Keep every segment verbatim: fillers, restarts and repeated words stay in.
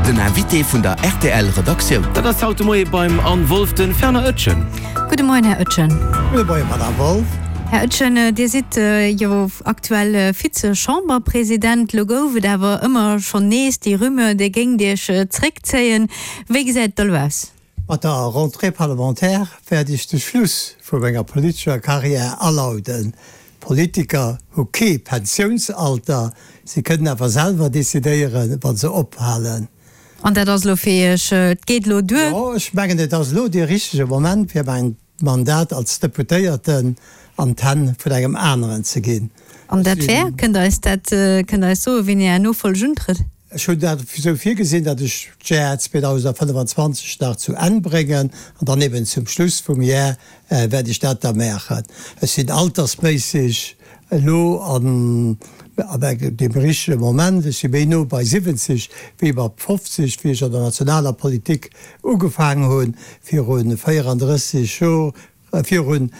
Den Invité vun der R T L Redaktioun. Dat ass haut de Moie beim Anne Wolff de Fernand Etgen. Gudde Moien, Här Etgen. Gudde Moien, Madame Wolff. Här Etgen, Dir sidd jo aktuell Vize-Chamberpresident. Lo gouf et awer ëmmer schonn nees déi Rumeur, Dir géingt Iech zréckzéien. Wéi gesäit et da lo aus? Mat der Rentrée parlementaire wäert ech de Schluss vu menger politescher Karriär alauden. Politiker hu kee Pensiounsalter, si kënnen awer selwer decidéieren, wa se ophalen. An dat ass lo fir Iech, et geet lo duer? Jo, ech mengen, et ass lo dee richtege Moment, fir mäin Mandat als Deputéierten an d'Hänn vun engem aneren ze ginn. An dat wär? Kënnt Der eis dat, kënnt Der eis soen, wien Är Nofolleg untrëtt? Ech hunn dat esou virgesinn, datt ech d'Jar zweedausendfënnefanzwanzeg nach zu Enn bréngen an dann eben zum Schluss vum Jar wäert ech dat da maachen. Ech sinn altersméisseg elo an deem richtege Moment, ech si méi no bei siwwenzeg wéi bei fofzeg, wéi ech an der nationaler Politik ugefaangen hunn viru véierandrësseg Jor. Virun,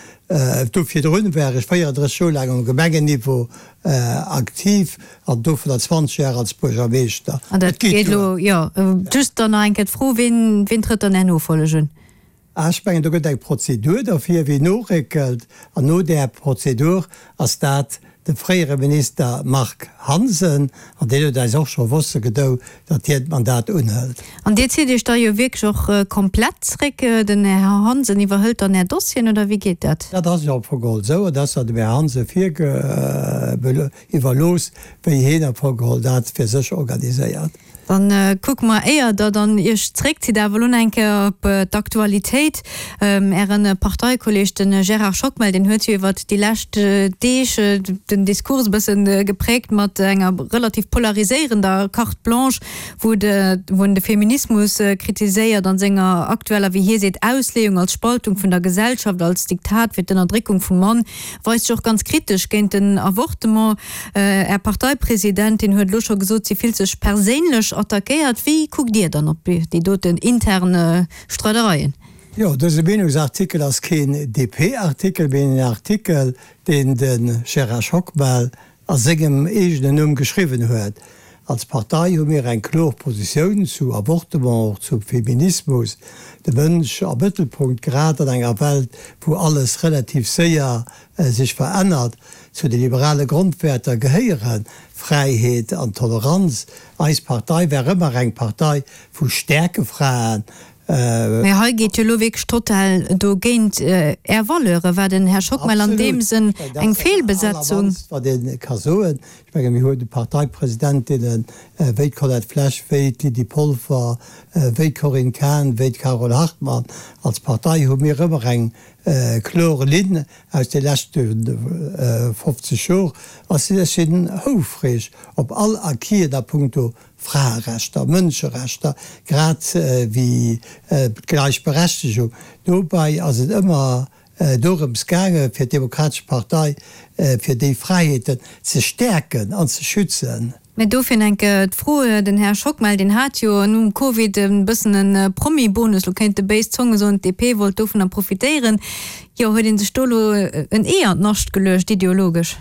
do virdrun war ech véierandrësseg Joer laang um Gemengenniveau aktiv an dovunner zwanzeg Joer als Buergermeeschter. An dat geet elo, jo. Just dann nach eng Kéier d'Fro, Wien, wien trëtt dann Är Nofolleg un? Ech mengen, do gëtt eng Prozedur derfir, wien noréckelt. An no där Prozedur ass dat de fréiere Minister Marc Hansen, an deen huet eis och scho wosse gedou, datt hien d'Mandat unhëlt. An Dir zitt Iech da jo wierklech och komplett zréck. Den Här Hansen iwwerhëlt dann Är Dossieren, oder wéi geet dat? Dat ass jo am Fong geholl esou, an dat ass dem Här Hansen iwwerlooss, wéi hien am Fong geholl dat fir sech organiséiert. Dann kucke mer, éier Der dann Iech zréckzitt, awer elo nach eng Kéier op d'Aktualitéit. Äre Parteikolleeg, de Gérard Schockmel, deen huet jo iwwert déi lescht Deeg den Diskurs e bësse gepräägt mat enger relativ polariséierender Carte blanche, wou de, wou en de Feminismus kritiséiert an senger aktueller, wéi hie seet, Ausleeung als Spaltung vun der Gesellschaft, als Diktat fir d'Ënnerdréckung vum Mann, weist sech och ganz kritesch géint den Avortement. Är Parteipresidentin huet elo scho gesot, si fillt sech perséinlech attackéiert. Wéi kuckt Dir dann op déi doten intern Streidereien? Jo, dëse Meenungsartikel ass keen D P-Artikel, mee en Artikel, deen de Gérard Schockmel a sengem eegenen Numm geschriwwen huet. Als Partei hu mir eng kloer Positioun zu Avortement, och zum Feminismus. De Mënsch am Mëttelpunkt, grad an enger Welt, wou alles relativ séier sech verännert. Zu de liberale Grondwäerter gehéiere Fräiheet an Toleranz. Eis Partei war ëmmer eng Partei vu staarke Fraen. Mä hei geet jo elo wierklech total dogéint Är Valeure, war den Här Schockmel an deem Sënn eng Feelbesetzung? Wat ee ka soen, ech menge mir hunn Parteipresidentinnen wéi d'Colette Flesch, wéi d'Lydie Polfer, wéi d'Corinne Cahen, wéi d'Carole Hartmann. Als Partei hu mir ëmmer eng kloer Linn aus de leschte fofzeg Jor. A ech sinn houfreg op all Acquisen a punkto Fraerechter, Mënscherechter, grad wéi d'Gläichberechtegung. Dobäi ass et ëmmer dorëms gaange fir d'Demokratesch Partei, fir déi Fräiheeten ze stäerken an ze schützen. Mä dofir enk d'Fro, den Här Schockmel, deen hat jo nom Covid e bëssen e Promi-Bonus, lo kéinte béis Zonge soen, d'D P wollt dovunner profitéieren. Jo, huet ee sech do elo en Ee an d'Nascht geluecht, ideologesch?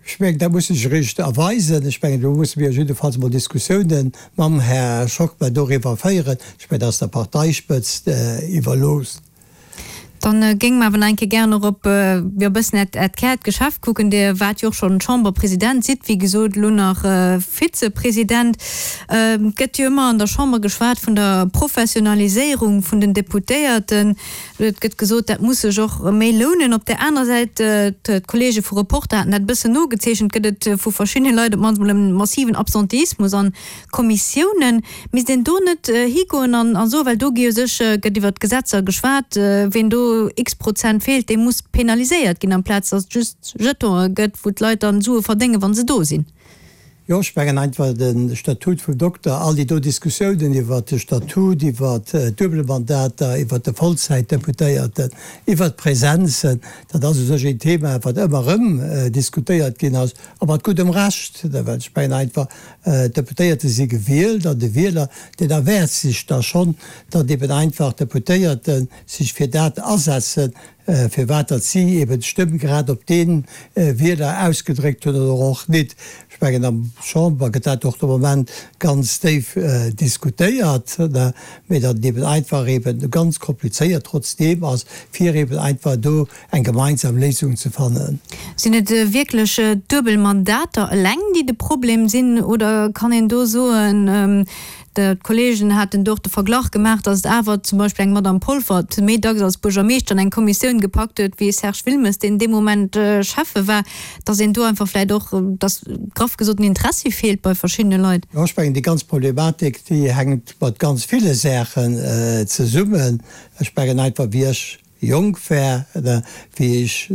Ech mengen, dat muss sech eréischt erweisen. Ech mengen, do musse mir jiddefalls emol Diskussiounen mam Här Schockmel doriwwer féieren. Ech mengen, dat ass der Parteispëtzt iwwerlooss. Dann géinge mer awer nach eng Kéier gären och op jo e bëssen Äert, Äert Kärgeschäft kucken. Dir waart jo och schonn Chamberpresident, sidd wéi gesot elo nach Vizepresident. Et gëtt jo ëmmer an der Chamber geschwat vun der Professionaliséierung vun den Deputéierten. Et gëtt gesot, dat muss sech och méi lounen. Op där aner Säit, d'Kollege vu Reporter haten dat e bëssen nogezeechent, gëtt et vu verschiddene Leit op d'mannst mol e massiven Absenteismus an Kommissiounen. Misst een do net higoen an soen, well do gi jo sech, gëtt iwwert d'Gesetzer geschwat, ween do x Prozent feelt, dee muss penaliséiert ginn, amplaz datt et just Jetonë gëtt, wou d'Leit dann Sue verdéngen, wa se do sinn? Jo, ech mengen einfach de Statut vum Dokter, all déi do Diskussiounen iwwert de Statut, iwwert d'Duebelmandater, iwwert de Vollzäitdeputéierten, iwwert d'Präsenzen, dat ass u sech een Thema, wat ëmmer erëm diskutéiert ginn ass, a mat guddem Recht, well ech mengen einfach, d'Deputéierte si gewielt an de Wieler, deen erwaart sech da schonn, datt eben einfach d'Deputéierte sech fir dat asetzen, firwat datt si eben d'Stëmm grad op dee Wieler ausgedréckt hunn oder och nit. Ech mengen, am Chamber gëtt dat och de Moment ganz déif diskutéiert, mee datt et eben einfach eben ganz komplizéiert trotzdeem ass, fir eben einfach do eng gemeinsam Léisung ze fannen. Sinn et wierklech d'duebel Mandater eleng, déi de Problem sinn, oder kann een do soen, d'Kollegen haten do och de Verglach gemaach, datt et awer zum Beispill eng Madame Polfer méi dacks als Buergermeeschter an eng Kommissioun gepackt huet wéi e Serge Wilmes, deen dee Moment Schäffe war, datt een do einfach vläicht och, datt graff gesot den Interessi feelt bei verschiddene Leit? Jo, ech mengen, déi ganz Problematik, déi hänkt mat ganz ville Saachen zesummen. Ech mengen einfach, wéi ech jonk war, wéi ech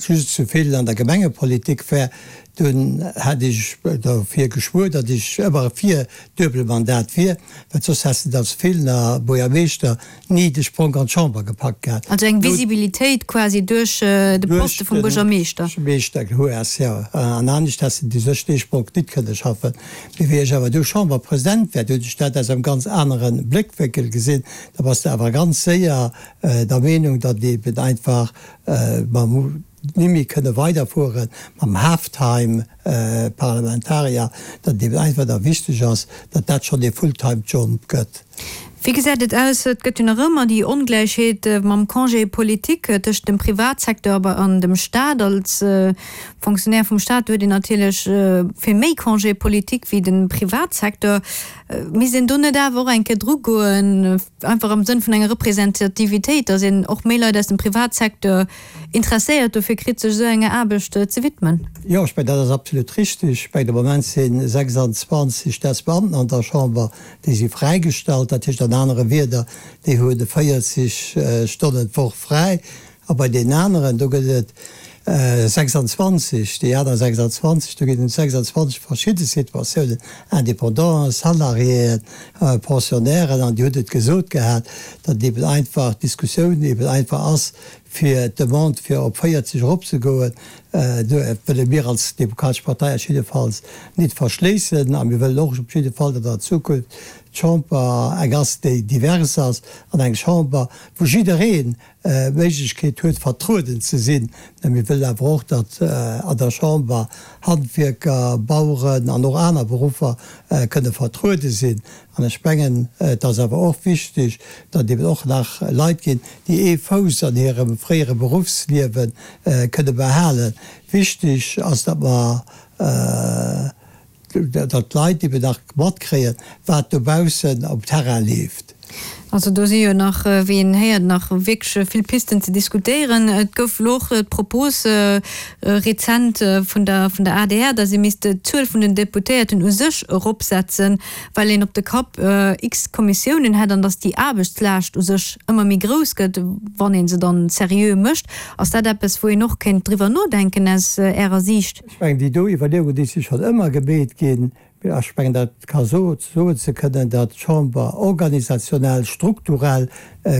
just zu vill an der Gemengepolitik war, dunn hat ech derfir geschwuer, datt ech ëmmer fir Duebelmandat wier, well soss häss de als Feelener Buergermeeschter ni de Spronk an d'Chamber gepackt gehat. Also eng Visibilitéit quasi duerch de Poste vum Buergermeeschter. Buergermeeschter hues, jo. An anescht häss de sech dee Spronk nit kënne schaffen. Mee wéi ech awer du Chamberpresident war, du hunn ech dat aus engem ganz anere Bléckwénkel gesinn. Da bass de awer ganz séier der Meenung, datt eben einfach mam ni méi kënne weiderfuere mam Halftime-Parlamentarier, datt et eben einfach da wichteg ass, datt dat schonn ee Fulltime-Job gëtt. Wéi gesäit et aus, et gëtt jo nach ëmmer déi Ongläichheet mam Congé politique tëscht dem Privatsecteur an dem Staat. Als Fonctionnaire vum Staat huet een natierlech vill méi Congé politique wéi de Privatsecteur. Misst een do net awer och eng Kéier drugoen, einfach am Sënn vun enger Representativitéit, datt een och méi Leit aus dem Privatsecteur interesséiert dofir kritt, sech esou enger Aarbecht ze widmen? Jo, ech mengen, dat ass absolut richtig. Ech mengen, de Moment si sechsundzwanzeg Staatsbeamten an der Chamber, déi si fräigestallt. Dat heescht an anere Wierder, déi hunn véierzeg Stonnen d'Woch fräi. A bei deenen aneren, do gëtt et sechsundzwanzeg, déi aner sechsundzwanzeg, do ginn et sechsundzwanzeg verschidde Situatiounen, Indépendanten, Salariéen, Pensionnairen, an déi hunn et gesot gehat, datt eben einfach d'Diskussioun eben einfach ass, fir d'Demande fir op véierzeg eropzegoen, do wëlle mir als Demokratesch Partei eis jiddefalls nit verschléissen. A mir wëllen och op jidde Fall, datt an Zukunft d'Chamber eng ass, déi divers ass, an eng Chamber, wou jiddereen d'Méiglechkeet huet, vertrueden ze sinn. Mä mir wëllen awer och, datt an der Chamber Handwierker, Baueren an och aner Beruffer kënne vertruede sinn. An ech mengen, et ass awer och wichteg, datt eben och nach Leit ginn, déi ee Fouss an hirem fréiere Beruffsliewe kënne behalen. Wichteg ass, datt mer, datt d'Leit eben nach matkréien, wat dobaussen um Terrain leeft. Also do si jo nach, wéi een héiert, nach wierklech vill Pisten ze diskutéieren. Et gouf elo och d'Propos rezent vun der vun der adr, datt ee misst d'Zuel vun den Deputéierten u sech eropsetzen, well een op de Kapp x Kommissiounen hätt an datt déi Aarbechtslaascht u sech ëmmer méi grouss gëtt, wann ee se dann seriö mécht. Ass dat eppes, wou een och kéint driwwer nodenken aus Ärer Siicht? Ech mengen, déi do Iwwerleeungen, déi si schonn ëmmer gemeet ginn. Ech mengen, dat ka soen ze kënnen, datt d'Chamber organisationell, strukturell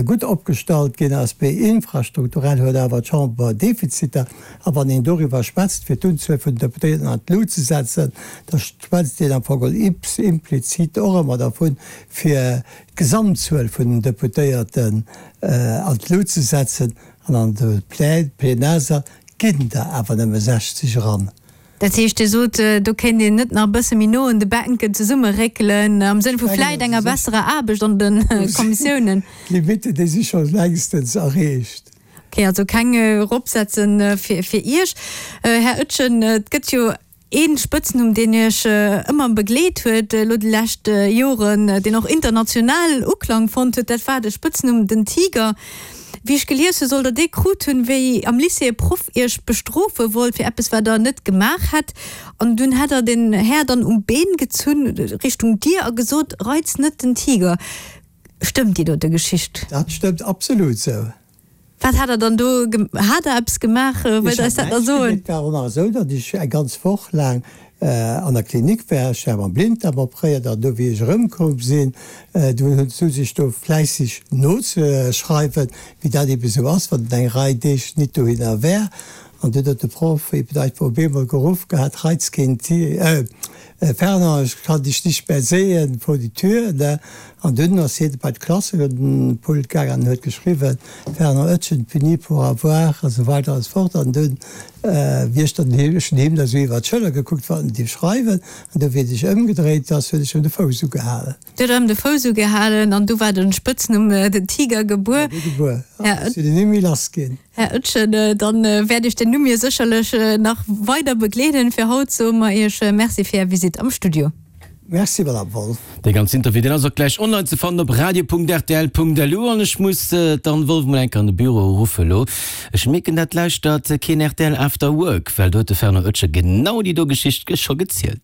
gutt opgestallt ginn ass, mee infrastrukturell huet awer d'Chamber Defiziter. A wann een doriwwer schwätzt, fir d'Unzuel vun den Deputéierten an d'Lut ze setzen, da schwätzt een am Fong implizit och ëmmer dervun, fir d'Gesamtzuel vun den Deputéierten an d'Lut ze setzen. An an de Plenarsaal ginn der awer nëmme sechzeg eran. Dat heescht, Dir sot, do kéint een net nach e bësse méi no un de Bänken zesummeréckelen, am Sënn vu vläit enger besserer Aarbecht an de Kommissiounen? D'Limitten, déi si scho längstens erreecht. Okay, also keng eropsetze fir Iech. Här Oetjen, et gëtt jo ee Spëtznumm, deen Iech ëmmer begleet huet elo déi lescht Joren, deen och international Uklang fonnt huet, dat war de Spëtznumm den Tiger. Wéi ech gelies hu soll der dee krut hunn, wéi am Lycée e Proff iech bestrofe wollt fir eppes wat der net gemaach hätt an dunn hätt der den Här dann um Been gezunn Richtung Dier a gesot, Reiz net den Tiger. Stëmmt déi dote Geschicht? Dat stëmmt absolut sou. Wat hat der dann do, hat der eppes gemaach? Wëllt der eis dat nach soen? Et war och nach esou, datt ech eng ganz Woch laang an der Klinik war. Ech war mam Blinddarm opréiert an do wéi ech erëmkoum sinn, du hunn se sech do fläisseg nozeschreiwen, wéi dat ebe sou ass, wann een eng Rei Deeg nit dohinner war. An dunn huet de Proff eben einfach op eemol geruff gehat, Reizkind, äh, Fernand, ich kann dich nicht mehr sehen, vor die Tür, ne? An dunn ass hien bei d'Klassenpult gaangen an huet geschriwwen, Fernand Oetjen puni pour avoir a sou weider an sou fort. An dunn, wéi ech dann him, ech hunn him da sou iwwer d'Schëller gekuckt, wat en dierf schreiwen, an du wéi e sech ëmgedréit ass, huet ech em de Fouss ugehalen. Du huet em de Fouss ugehalen an du war den Spëtznumm den Tiger gebuer. Gebuer. An ech sinn en ni méi lass ginn. Här Oetjen, dann wäert Iech den Numm jo sécherlech nach weider begleeden. Fir haut soe mer Iech Merci fir Är Visitt am Studio. Merci, Madame Wolff. Dee ganzen Interview, deen ass och gläich online ze fannen op radio.rtl.lu. An ech muss d'Anne Wolff mol eng Kéier an de Büro ruffen elo. Ech mierken, dat lauschtert keen rtl After Work, well do huet de Fernand Oetjen genau déi do Geschicht scho gezielt.